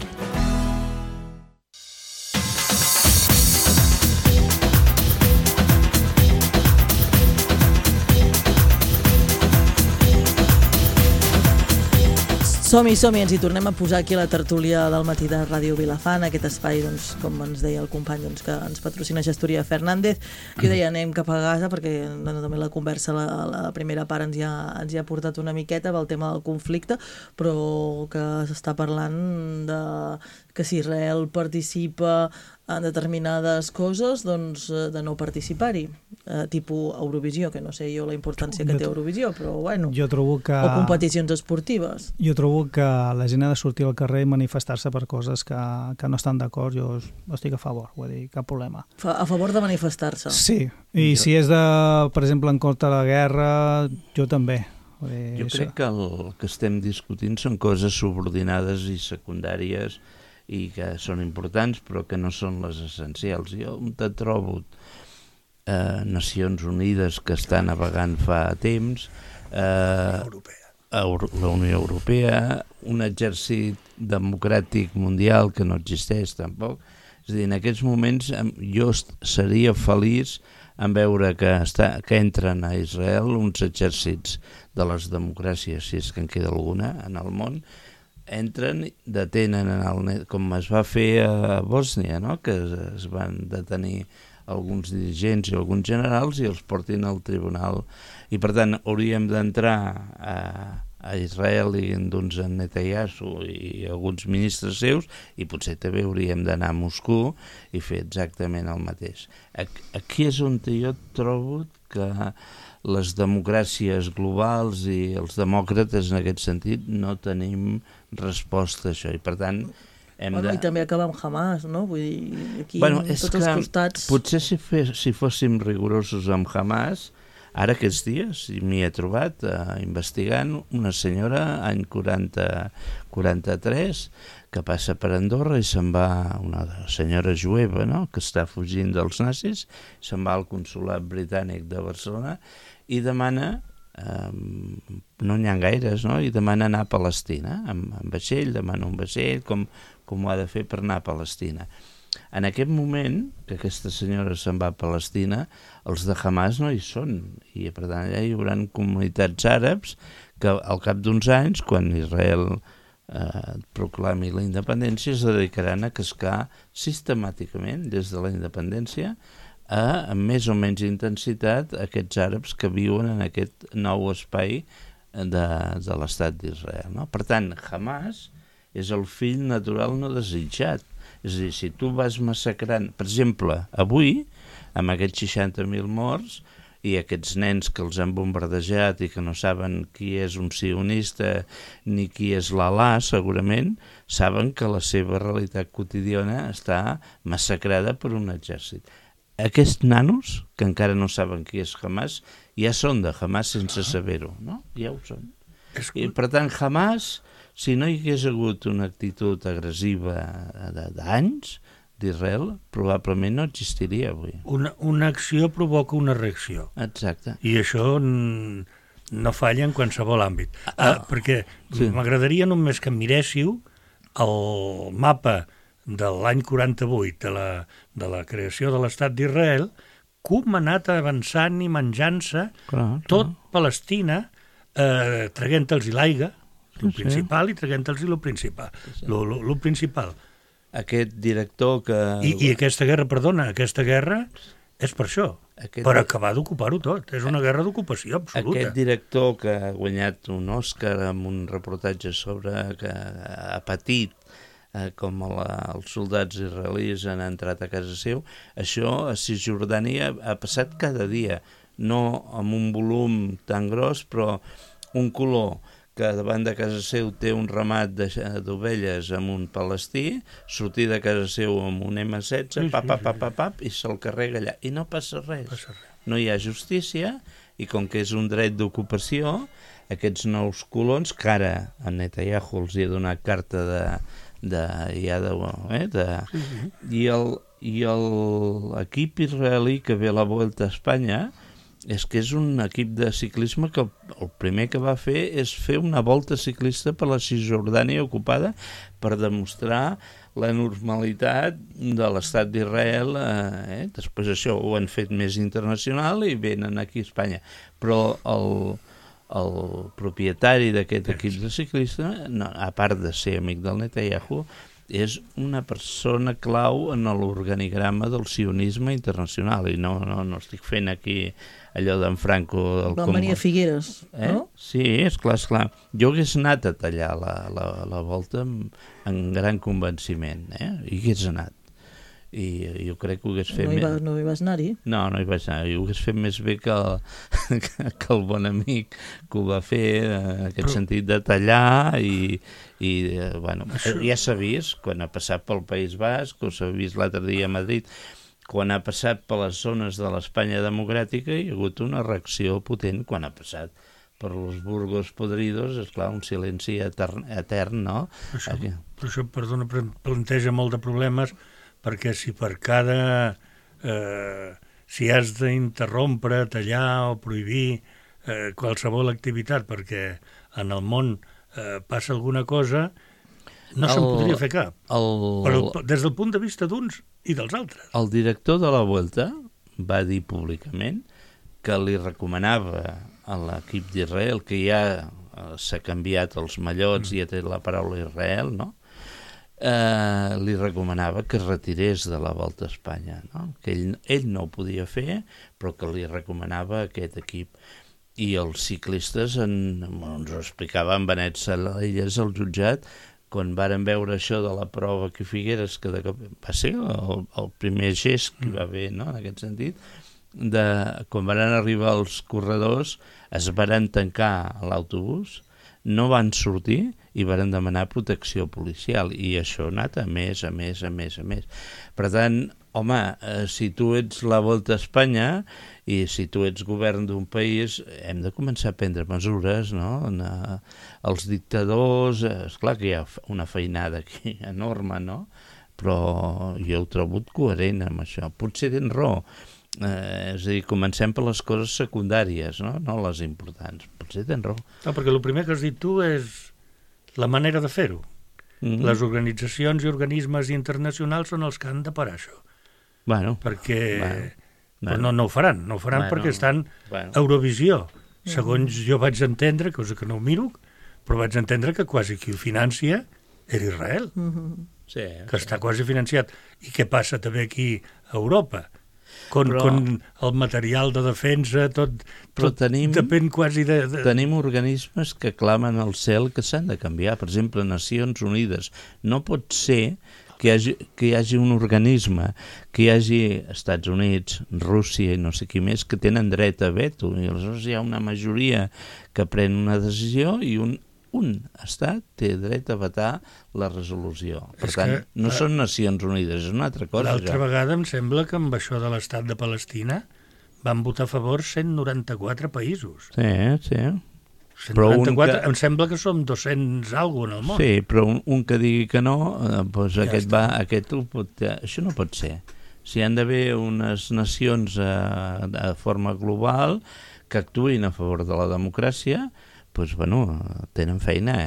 Som-hi, ens hi tornem a posar aquí a la tertúlia del matí de Ràdio Vilafant, aquest espai, doncs, com ens deia el company, doncs, que ens patrocina Gestoria Fernández. Jo deia, anem cap a casa, perquè també la conversa, la primera part ens hi ha portat una miqueta pel tema del conflicte, però que s'està parlant de que si Israel participa en determinades coses, doncs de no participar-hi, tipus Eurovisió, que no sé jo la importància que té Eurovisió, però bueno, jo trobo que... o competicions esportives. Jo trobo que la gent ha de sortir al carrer i manifestar-se per coses que no estan d'acord. Jo estic a favor, vull dir, cap problema. A favor de manifestar-se? Sí, i si és per exemple, en contra de la guerra, jo també. Jo crec que el que estem discutint són coses subordinades i secundàries i que són importants però que no són les essencials. Jo te trobo Nacions Unides que està navegant fa temps, la Unió Europea, un exèrcit democràtic mundial que no existeix tampoc. És a dir, en aquests moments jo seria feliç en veure que entren a Israel uns exèrcits de les democràcies, si és que en queda alguna en el món, entren, detenen, com es va fer a Bòsnia, no? Que es van detenir alguns dirigents i alguns generals i els portin al tribunal. I per tant hauríem d'entrar a Israel i doncs a Netanyahu i alguns ministres seus, i potser també hauríem d'anar a Moscou i fer exactament el mateix. Aquí és on jo trobo que les democràcies globals i els demòcrates en aquest sentit no tenim resposta a això, i per tant I també acabar amb Hamas, no? Vull dir, aquí tots els costats... Potser si fóssim rigorosos amb Hamas, ara aquests dies m'hi he trobat investigant una senyora, any 43, que passa per Andorra i se'n va, una senyora jueva, no?, que està fugint dels nazis, se'n va al consolat britànic de Barcelona i demana, no n'hi ha gaires, no?, i demana anar a Palestina, amb vaixell, demana un vaixell, com ho ha de fer per anar a Palestina. En aquest moment, que aquesta senyora se'n va a Palestina, els de Hamas no hi són, i per tant allà hi haurà comunitats àrabs que al cap d'uns anys, quan Israel proclami la independència, es dedicaran a cascar sistemàticament des de la independència amb més o menys intensitat aquests àrabs que viuen en aquest nou espai de l'estat d'Israel, no? Per tant, Hamas és el fill natural no desitjat. És a dir, si tu vas massacrant, per exemple, avui, amb aquests 60.000 morts i aquests nens que els han bombardejat i que no saben qui és un sionista ni qui és l'Alà, segurament, saben que la seva realitat quotidiana està massacrada per un exèrcit. Aquests nanos, que encara no saben qui és Hamas, ja són de Hamas sense saber-ho, no? Ja ho són. I, per tant, Hamas, si no hi hagués hagut una actitud agressiva d'anys d'Israel, probablement no existiria avui. Una acció provoca una reacció. Exacte. I això no falla en qualsevol àmbit. Perquè m'agradaria només que miréssiu el mapa de l'any 48 de la creació de l'estat d'Israel, com ha anat avançant i menjant-se tot Palestina, traguent-los l'aigua, el principal, i traguent-los el principal. Lo principal. Aquest director que... I aquesta guerra és per això, per acabar d'ocupar-ho tot. És una guerra d'ocupació absoluta. Aquest director que ha guanyat un Òscar amb un reportatge sobre que ha patit com els soldats israelis han entrat a casa seu, això a Cisjordània ha passat cada dia, no amb un volum tan gros, però un color que davant de casa seu té un ramat d'ovelles amb un palestí, sortir de casa seu amb un M16, i se'l carrega allà. I no passa res. No hi ha justícia, i com que és un dret d'ocupació, aquests nous colons, que ara a Netanyahu els hi ha donat carta i l'equip israelí que ve a la Volta a Espanya és que és un equip de ciclisme que el primer que va fer és fer una volta ciclista per la Cisjordània ocupada per demostrar la normalitat de l'estat d'Israel. Després això ho han fet més internacional i venen aquí a Espanya. Però el propietari d'aquest equip de ciclista, no, a part de ser amic del Netanyahu, és una persona clau en l'organigrama del sionisme internacional, i no estic fent aquí allò d'en Franco... Van venir a Figueres, no? Sí, és clar. Jo hagués anat a tallar la volta en gran convenciment, i hagués anat. I jo crec que ho hagués fet... No hi vas anar-hi? No hi vaig anar. Ho hagués fet més bé que el bon amic que ho va fer, en aquest sentit de tallar, i bueno, ja s'ha vist quan ha passat pel País Basc, o s'ha vist l'altre dia a Madrid, quan ha passat per les zones de l'Espanya democràtica, hi ha hagut una reacció potent. Quan ha passat per los Burgos podridos, esclar, un silenci etern, no? Per això, perdona, planteja molt de problemes, perquè si per cada... si has d'interrompre, tallar o prohibir qualsevol activitat perquè en el món passa alguna cosa, no se'n podria fer cap. Però des del punt de vista d'uns i dels altres. El director de la Vuelta va dir públicament que li recomanava a l'equip d'Israel, que ja s'ha canviat els mallots i ha tret la paraula Israel, no? Li recomanava que es retirés de la Volta a Espanya, no? Que ell no ho podia fer, però que li recomanava aquest equip. I els ciclistes ens ho explicava en Benet Salelles, el jutjat, quan varen veure això de la prova que Figueres, que va ser el primer gest que va haver, no?, en aquest sentit, quan van arribar els corredors, es varen tancar a l'autobús, no van sortir i varen demanar protecció policial, i això ha anat a més. Per tant, home, si tu ets la Volta a Espanya i si tu ets govern d'un país, hem de començar a prendre mesures, no? Els dictadors, esclar que hi ha una feinada aquí enorme, no? Però jo ho trobo coherent amb això. Potser tens raó. És a dir, comencem per les coses secundàries, no les importants. Potser tens raó. No, perquè el primer que has dit tu és la manera de fer-ho. Les organitzacions i organismes internacionals són els que han de parar això. Perquè no ho faran, perquè estan a Eurovisió. Segons jo vaig entendre, cosa que no ho miro, però vaig entendre que quasi qui ho financia era Israel, que està quasi financiat. I què passa també aquí a Europa? Con el material de defensa, tot depèn quasi de... Tenim organismes que clamen al cel que s'han de canviar. Per exemple, Nacions Unides. No pot ser que hi hagi un organisme, que hi hagi Estats Units, Rússia i no sé qui més, que tenen dret a veto. I aleshores hi ha una majoria que pren una decisió i un estat té dret a vetar la resolució. Per tant, no són Nacions Unides, és una altra cosa. L'altra vegada em sembla que amb això de l'estat de Palestina van votar a favor 194 països. Sí. 194, em sembla que som 200 alguna en el món. Sí, però un que digui que no, doncs això no pot ser. Si han d'haver unes nacions de forma global que actuïn a favor de la democràcia, doncs, tenen feina,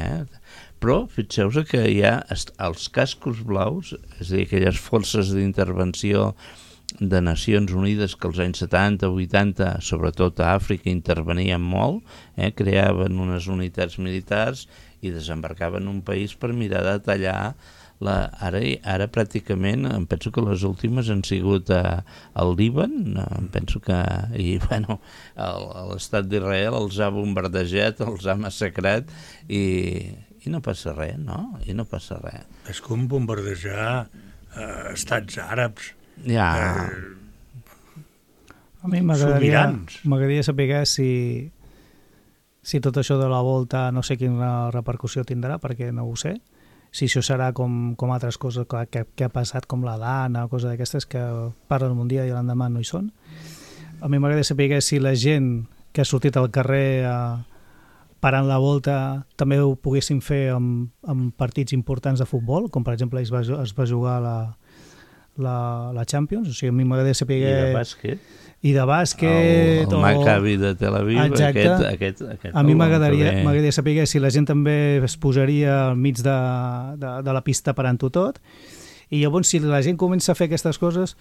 Però fixeu-vos que hi ha els cascos blaus, és a dir, aquelles forces d'intervenció de Nacions Unides que als anys 70, 80, sobretot a Àfrica, intervenien molt, creaven unes unitats militars i desembarcaven un país per mirar de tallar. Ara pràcticament, em penso que les últimes han sigut al Líban, em penso que l'estat d'Israel els ha bombardejat, els ha massacrat i no passa res, no? I no passa res. És com bombardejar estats àrabs. Ja. A mi m'agradaria saber si tot això de la volta no sé quina repercussió tindrà, perquè no ho sé. Si això serà com altres coses que ha passat, com la Dana, coses d'aquestes que parlen un dia i l'endemà no hi són. A mi m'agradaria saber si la gent que ha sortit al carrer parant la volta també ho poguessin fer amb partits importants de futbol, com per exemple es va jugar la Champions, o sigui, a mi m'agradaria saber... I de bàsquet... El Maccabi de Tel Aviv, aquest a mi m'agradaria saber si la gent també es posaria al mig de la pista parant-ho tot, i llavors si la gent comença a fer aquestes coses,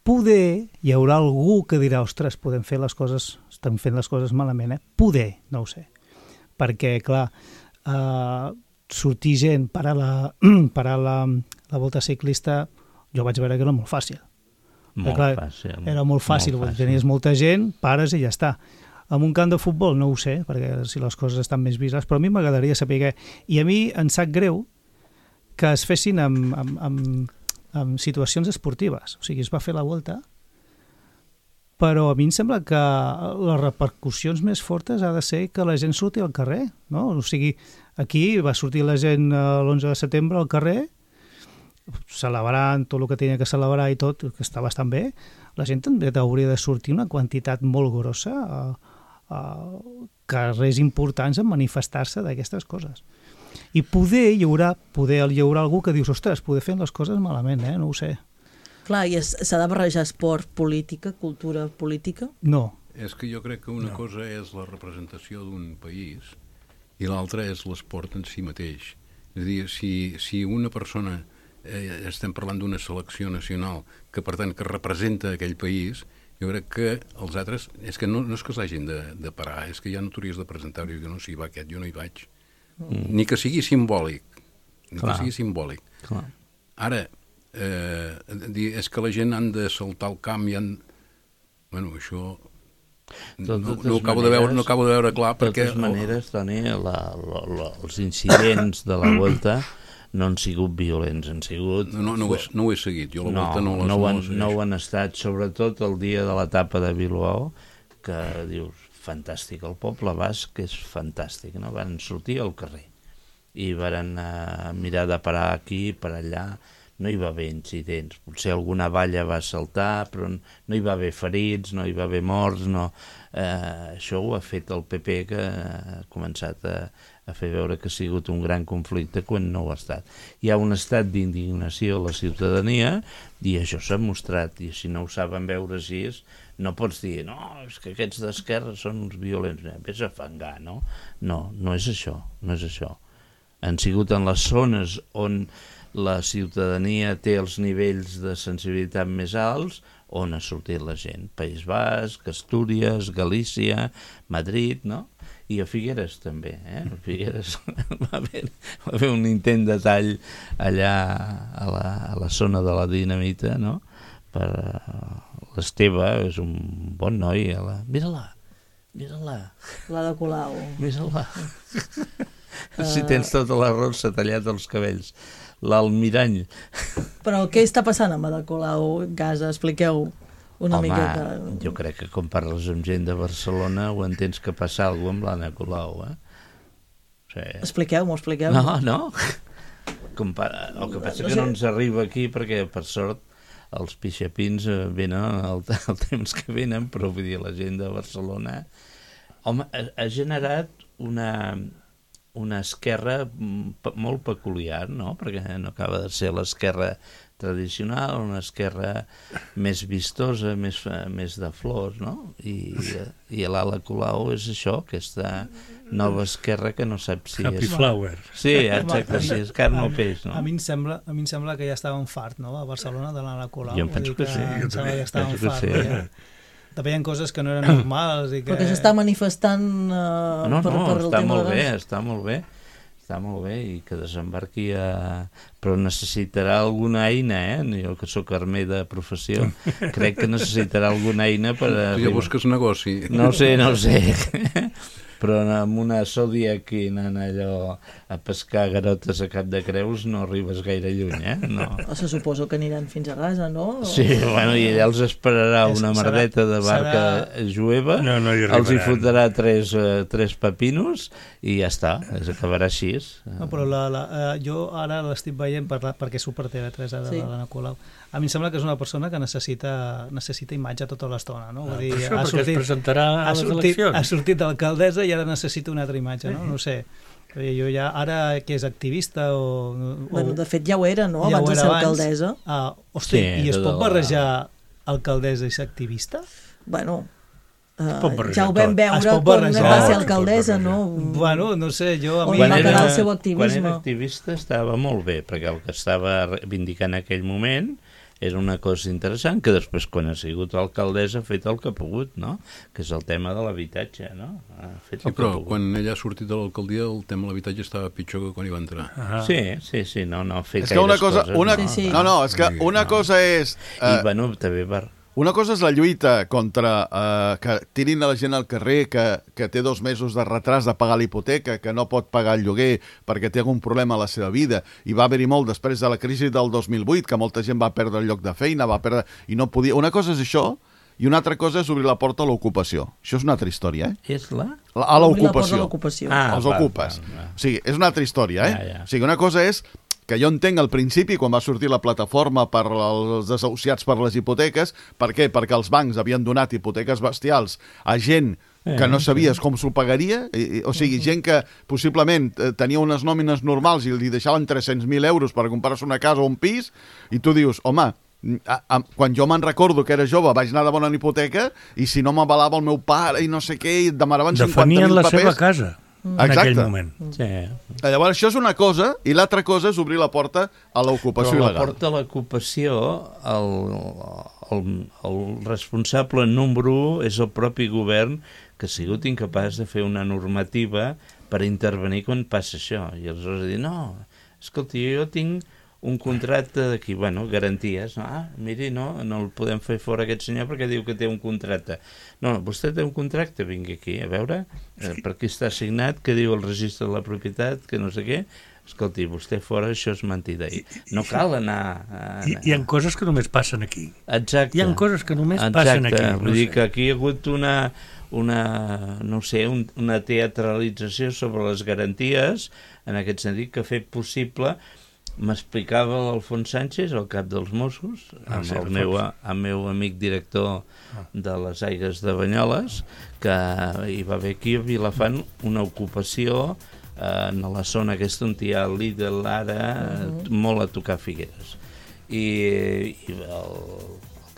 poder hi haurà algú que dirà, ostres, estem fent les coses malament, poder, no ho sé. perquè, clar, sortir gent, parar la volta ciclista, jo vaig veure que era molt fàcil. Era molt fàcil, tenies molta gent, pares i ja està. En un camp de futbol no ho sé, perquè si les coses estan més vistes, però a mi m'agradaria saber i a mi em sap greu que es fessin amb situacions esportives. O sigui, es va fer la volta, però a mi em sembla que les repercussions més fortes ha de ser que la gent surti al carrer, no? O sigui, aquí va sortir la gent l'11 de setembre al carrer, celebrant tot el que tenia que celebrar i tot, que està bastant bé. La gent també hauria de sortir una quantitat molt grossa a carrers importants a manifestar-se d'aquestes coses. I poder hi haurà algú que dius, ostres, poder fer les coses malament, no ho sé. Clar, i s'ha de barrejar esport, política, cultura política? No. És que jo crec que una cosa és la representació d'un país i l'altra és l'esport en si mateix. És a dir, si una persona, estem parlant d'una selecció nacional, que per tant que representa aquell país, jo crec que els altres, és que no és que s'hagin de parar, és que ja no t'hauries de presentar-ho, jo no, si va aquest, jo no hi vaig. Ni que sigui simbòlic. Ara, és que la gent han de saltar el camp i han... Bueno, això... No acabo de veure clar perquè... De totes maneres, Toni, els incidents de la Volta no han sigut violents, han sigut... No ho he seguit, jo la Volta no ho han estat, sobretot el dia de l'etapa de Bilbao, que dius, fantàstic, el poble basc és fantàstic, no? Van sortir al carrer i van mirar de parar aquí, per allà, no hi va haver incidents, potser alguna valla va saltar, però no hi va haver ferits, no hi va haver morts, no. Això ho ha fet el PP, que ha començat a fer veure que ha sigut un gran conflicte quan no ho ha estat. Hi ha un estat d'indignació a la ciutadania i això s'ha mostrat, i si no ho saben veure així, no pots dir, no, és que aquests d'esquerra són uns violents, vés a fangar, no? No és això, no és això. Han sigut en les zones on la ciutadania té els nivells de sensibilitat més alts, on ha sortit la gent. País Basc, Astúries, Galícia, Madrid, no? I a Figueres també, A Figueres va haver un intent de tall allà a la zona de la Dinamita, no? Per l'Esteve, és un bon noi. Mira-la. La de Colau. Mira-la. Si tens tota la rosa tallat els cabells. L'almirall. Però què està passant amb Ada Colau, Gasa? Expliqueu una miqueta. Jo crec que quan parles amb gent de Barcelona ho entens que passa alguna cosa amb l'Anna Colau, Expliqueu-m'ho. No. El que passa que no ens arriba aquí perquè, per sort, els pixapins venen el temps que venen, però vull dir, la gent de Barcelona... Home, ha generat una esquerra molt peculiar, no? Perquè no acaba de ser l'esquerra tradicional, una esquerra més vistosa, més de flors, no? I l'Ada Colau és això, aquesta nova esquerra que no sap si Happy Flower. Sí, exacte, si és carn o peix, no? A mi em sembla que ja estàvem fart, no?, a Barcelona, de l'Ada Colau. Jo em penso que sí. Em sembla que ja estàvem fart. També hi ha coses que no eren normals i que... Però que s'està manifestant per el tema de... Està molt bé i que desembarqui però necessitarà alguna eina, jo que sóc armer de professió, crec que necessitarà alguna eina per... Tu ja busques negoci. No sé, però amb una Zodiac anant allò a pescar garotes a Cap de Creus no arribes gaire lluny, no. Se suposo que aniran fins a Gaza, no? Sí, bueno, i allà els esperarà una merdeta de barca jueva, els hi fotrà tres pepinos i ja està, acabarà així. No, però jo ara l'estic veient perquè surt per TV3 de l'Anna Colau. A mi em sembla que és una persona que necessita imatge tota l'estona, no? Vull dir, perquè es presentarà a les eleccions. Ha sortit d'alcaldessa i ara necessita una altra imatge, no? No sé. Jo ja, ara que és activista o... Bueno, de fet ja ho era, no? Abans de ser alcaldessa. Hosti, i es pot barrejar alcaldessa i ser activista? Bueno... ja ho vam veure quan va ser alcaldessa, no? Bueno, no sé, jo... On va quedar el seu activisme. Quan era activista estava molt bé, perquè el que estava reivindicant en aquell moment era una cosa interessant, que després, quan ha sigut alcaldessa, ha fet el que ha pogut, no? Que és el tema de l'habitatge, no? Sí, però quan ella ha sortit de l'alcaldia, el tema de l'habitatge estava pitjor que quan hi va entrar. Sí, no ha fet gaires coses. No, és que una cosa és... I, bueno, també una cosa és la lluita contra que tirin a la gent al carrer, que té 2 mesos de retras de pagar la hipoteca, que no pot pagar el lloguer perquè té algun problema a la seva vida, i va haver-hi molt després de la crisi del 2008, que molta gent va perdre el lloc de feina, i no podia... Una cosa és això, i una altra cosa és obrir la porta a l'ocupació. Això és una altra història, És la? A l'ocupació. Els ocupes. O sigui, és una altra història, O sigui, una cosa és que jo entenc al principi, quan va sortir la plataforma per als desahuciats per les hipoteques, per què? Perquè els bancs havien donat hipoteques bestials a gent que no sabies com s'ho pagaria, o sigui, gent que possiblement tenia unes nòmines normals i li deixaven 300.000 euros per comprar-se una casa o un pis, i tu dius, home, quan jo me'n recordo que era jove vaig anar a demanar una hipoteca i si no m'avalava el meu pare i no sé què, i demanaven 50.000 papers. Definien la seva casa. En aquell moment. Llavors, això és una cosa, i l'altra cosa és obrir la porta a l'ocupació il·legal. Però la porta a l'ocupació, el responsable número 1 és el propi govern, que ha sigut incapaç de fer una normativa per intervenir quan passa això. I aleshores dir, no, escolti, jo tinc un contracte d'aquí, garanties, miri, no el podem fer fora aquest senyor perquè diu que té un contracte. No, vostè té un contracte, vingui aquí, a veure, per aquí està signat, que diu el registre de la propietat, que no sé què. Escolti, vostè fora, això és mentida. No cal anar... Hi ha coses que només passen aquí. Exacte. Hi ha coses que només passen aquí. Vull dir que aquí hi ha hagut una teatralització sobre les garanties, en aquest sentit que ha fet possible... M'explicava l'Alfons Sánchez, el cap dels Mossos, amb el meu amic director de les Aigues de Banyoles, que hi va haver aquí a Vilafant una ocupació en la zona aquesta on hi ha el Lidl ara, molt a tocar Figueres. I el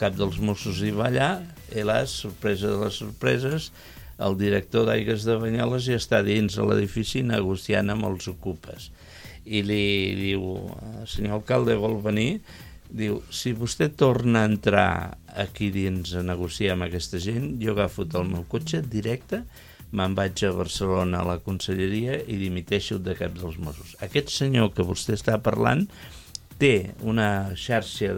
cap dels Mossos hi va allà, i sorpresa de les sorpreses, el director d'Aigues de Banyoles ja està dins de l'edifici negociant amb els ocupes. I li diu, senyor alcalde, vol venir? Diu, si vostè torna a entrar aquí dins a negociar amb aquesta gent, jo agafo el meu cotxe directe, me'n vaig a Barcelona a la conselleria i dimiteixo de cap dels Mossos. Aquest senyor que vostè està parlant té una xarxa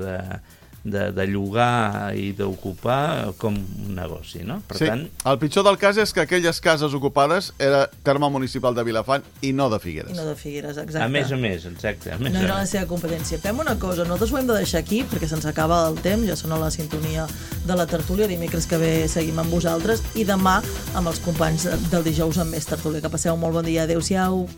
de llogar i d'ocupar com un negoci, no? Per tant... El pitjor del cas és que aquelles cases ocupades era terme municipal de Vilafant i no de Figueres. No de Figueres, exacte. A més, exacte. No era la seva competència. Fem una cosa, nosaltres ho hem de deixar aquí perquè se'ns acaba el temps, ja sona la sintonia de la tertúlia, dimecres que ve seguim amb vosaltres i demà amb els companys del dijous amb més tertúlia. Que passeu un molt bon dia. Adéu-siau.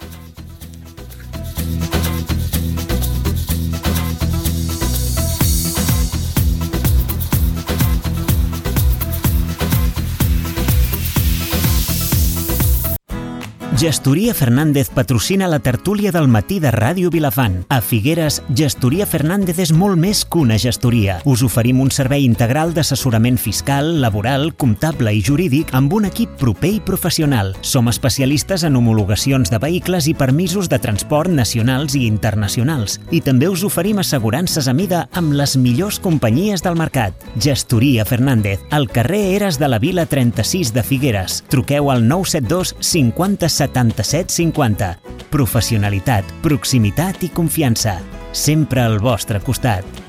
Gestoria Fernández patrocina la tertúlia del matí de Ràdio Vilafant. A Figueres, Gestoria Fernández és molt més que una gestoria. Us oferim un servei integral d'assessorament fiscal, laboral, comptable i jurídic amb un equip proper i professional. Som especialistes en homologacions de vehicles i permisos de transport nacionals i internacionals. I també us oferim assegurances a mida amb les millors companyies del mercat. Gestoria Fernández, al carrer Eres de la Vila 36 de Figueres. Truqueu al 972 50 77 50. Professionalitat, proximitat i confiança. Sempre al vostre costat.